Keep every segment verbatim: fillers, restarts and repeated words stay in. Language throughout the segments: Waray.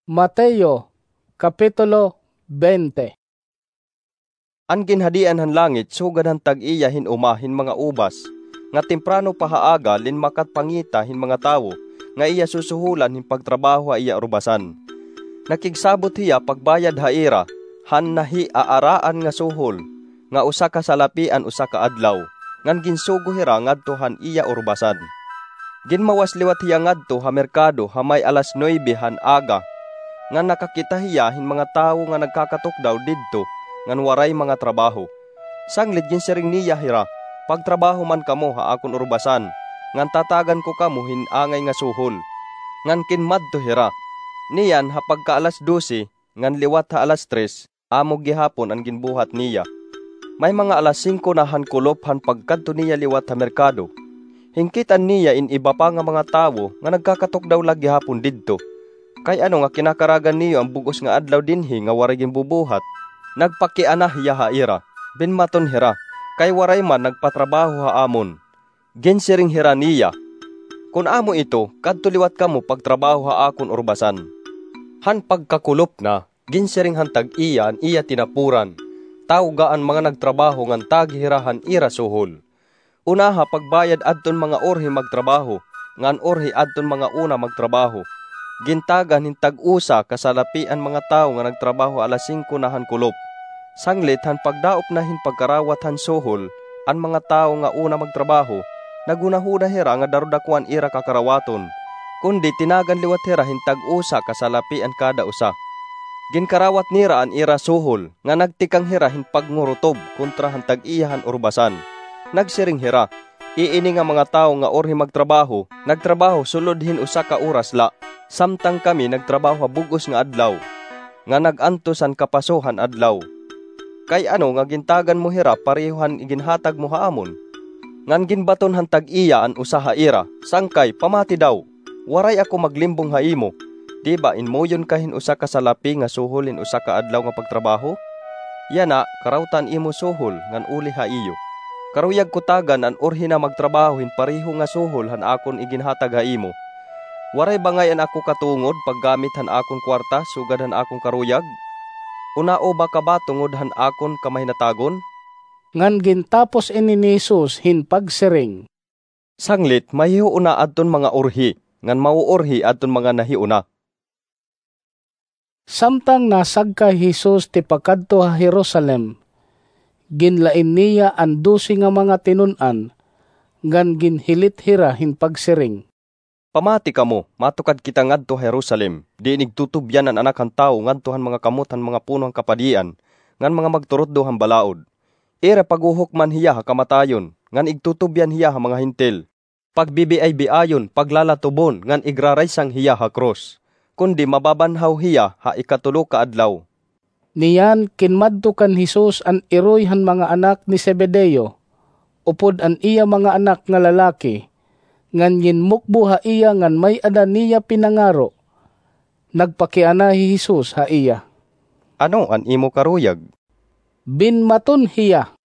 Mateo, Kapitulo twenty. An ginhadian han langit sugad han tag-iya hin uma hin mga ubas, nga temprano pa ha aga linmakat pangita hin mga tawo nga iya susuholan hin pagtrabaho ha iya urbasan. Nakigsabot hiya pagbayad ha ira han nahiaaraan nga suhol, nga usa ka salapi an usa ka adlaw, ngan ginsugo hira ngadto han iya urbasan. Ginmawas liwat hiya ngadto ha merkado ha may alas nuebe han aga, ngan nakakita hiya hin mga tawo nga nagkakatukdaw didto ngan waray mga trabaho. Sanglit ginsiring niya hira, "Pagtrabaho man kamo ha akon urbasan, ngan tatagan ko kamo hin angay nga suhol." Ngan kinmadto hira. Niyan ha pagka alas dose, ngan liwat ha alas tres, amo gihapon an ginbuhat niya. May mga alas singko na han kulop han pagkadto niya liwat ha merkado. Hinkit-an niya in iba pa nga mga tawo nga nagkakatukdaw la gihapon didto. Kay ano nga kinakaragan niyo an bug-os nga adlaw dinhi nga waray ginbubuhat? Nagpakiana hiya ha ira. Binmaton hira, kay waray man nagpatrabaho ha amon. Ginsiring hira niya, "Kon amo ito, kadto liwat kamo pagtrabaho ha akon urbasan." Han pagkakulop na, ginsiring han tag-iya an iya tinapuran, "Tawga an mga nagtrabaho ngan tagi hira han ira suhol. Unaha pagbayad adton mga urhi magtrabaho, ngan urhi adton mga una magtrabaho." Gintagan hin tag-usa ka salapi an mga tawo nga nagtrabaho alas singko na han kulop. Sanglit han pagdaop na hin pagkarawat han suhol, an mga tawo nga una magtrabaho, naghunahuna hira nga darodako an ira kakarawaton, kundi tinagan liwat hira hin tag-usa ka salapi an kada usa. Ginkarawat nira an ira suhol, nga nagtikang hira hin pagngurutub kontra han tag-iya han urbasan. Nagsiring hira, "Iini nga mga tawo nga urhi magtrabaho, nagtrabaho sulod hin usa ka oras la, samtang kami nagtrabaho ha bug-os nga adlaw, nga nag-antos han kapaso han adlaw. Kay ano nga gintagan mo hira pareho han iginhatag mo ha amon?" Ngan ginbaton han tag-iya an usa ha ira, "Sangkay, pamati daw! Waray ako maglimbong ha imo. Di ba inmuyon ka hin usa ka salapi nga suhol hin usa ka adlaw nga pagtrabaho? Yana, karawta an imo suhol ngan uli ha iyo. Karuyag ko tagan an urhi na magtrabaho hin pareho nga suhol han akon iginhatag ha imo. Waray ba ngay-an ako katungod paggamit han akon kwarta sugad han akon karuyag? Unao ba ka ba tungod han akon kamahinatagon?" Ngan gintapos ini ni Jesus hin pagsiring, "Sanglit, mahihiuna adton mga urhi, ngan mauurhi adton mga nahiuna." Samtang nasagka hi Jesus tipakadto ha Jerusalem, ginlain niya an dose nga mga tinun-an, ngan ginhilit hira hin pagsiring, "Pamati kamo, matukad kita ngadto ha Jerusalem, diin igtutubyan an Anak han Tawo ngadto han mga kamot han mga puno han kapadian ngan mga magturutdo han balaod. Ira paghuhukman hiya ha kamatayon, ngan igtutubyan hiya ha mga Hentil. Pagbibiay-biayon, paglalatubon, ngan igraraysang hiya ha krus. Kundi mababanhaw hiya ha ikatulo ka adlaw." Niyan kinmadto kan Jesus an iroy han mga anak ni Zebedeo, upod an iya mga anak nga lalaki, ngan ginmukbo ha iya ngan may-ada niya pinangaro. Nagpakiana hi Jesus ha iya. "Ano an imo karuyag?" Binmaton hiya,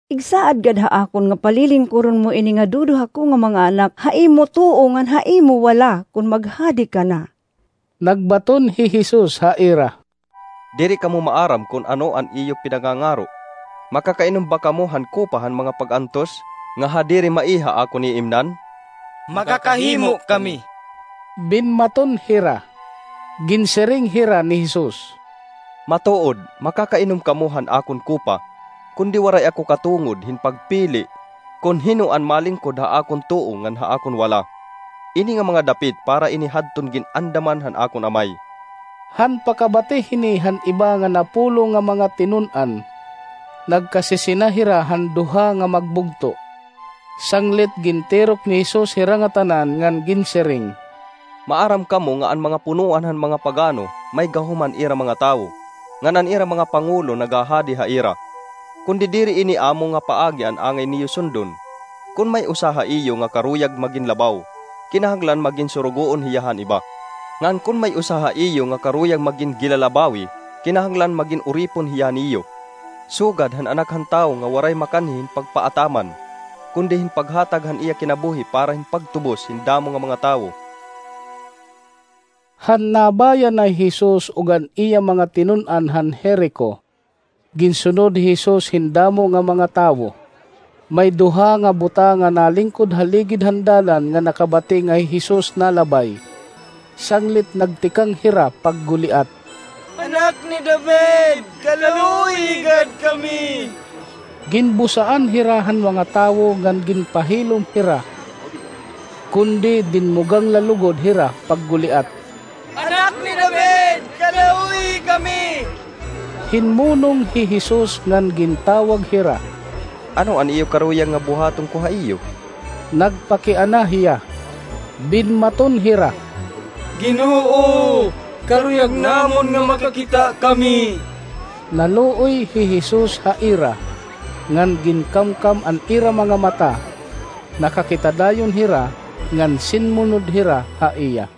"Igsaad gad ha akon nga palilingkuron mo ini nga duduha ko nga mga anak ha imo tuo ngan ha imo wala kon maghadi ka na." Nagbaton hi Jesus ha ira, "Diri kamo maaram kon ano an iyo pinangangaro. Makakainom ba kamo han kopa han mga pag-antos nga ha diri mai ha akon iimnan?" "Makakahimo kami," binmaton hira. Ginsiring hira ni Jesus, "Matuod, makakainom kamo han akon kopa, kundi waray ako katungod hin pagpili kon hin-o an malingkod ha akon tuo ngan ha akon wala. Ini nga mga dapit para ini hadton gin-andaman han akon Amay." Han pakabati hini han iba nga napulo nga mga tinun-an, nagkasisina hira han duha nga magbugto. Sanglit gintirok ni Jesus hira ngatanan ngan ginsiring, "Maaram kamo nga an mga punoan han mga pagano may gahom han ira mga tawo, ngan an ira mga pangulo nagahadi ha ira. Kundi diri ini amo nga paagi an angay niyo sundon. Kon may usa ha iyo nga karuyag magin labaw, kinahanglan magin surugoon hiya han iba. Ngan kon may usa ha iyo nga karuyag magin gilalabawi, kinahanglan magin uripon hiya niyo. Sugad han Anak han Tawo nga waray makanhi hin pagpaataman, kundi hin paghatag han iya kinabuhi para hin pagtubos hin damo nga mga tawo." Han nabayan na hi Jesus ug an iya mga tinun-an han Jerico, ginsunod hi Jesus hin damo nga mga tawo. May duha nga buta nga nalingkod ha ligid han dalan nga nakabati nga hi Jesus nalabay. Sanglit nagtikang hira pagguliat, "Anak ni David, kaluoyi gad kami!" Ginbusaan hira han mga tawo ngan ginpahilom hira, kundi dinmugang la lugod hira pagguliat, "Anak ni David, kaluoyi kami!" Hinmunong hi Jesus ngan gintawag hira. "Ano an iyo karuyag nga buhaton ko ha iyo?" Nagpakiana hiya. Binmaton hira, "Ginoo, karuyag namon nga makakita kami." Naluoy hi Jesus ha ira, ngan ginkamkam an ira mga mata. Nakakita dayon hira, ngan sinmunod hira ha iya.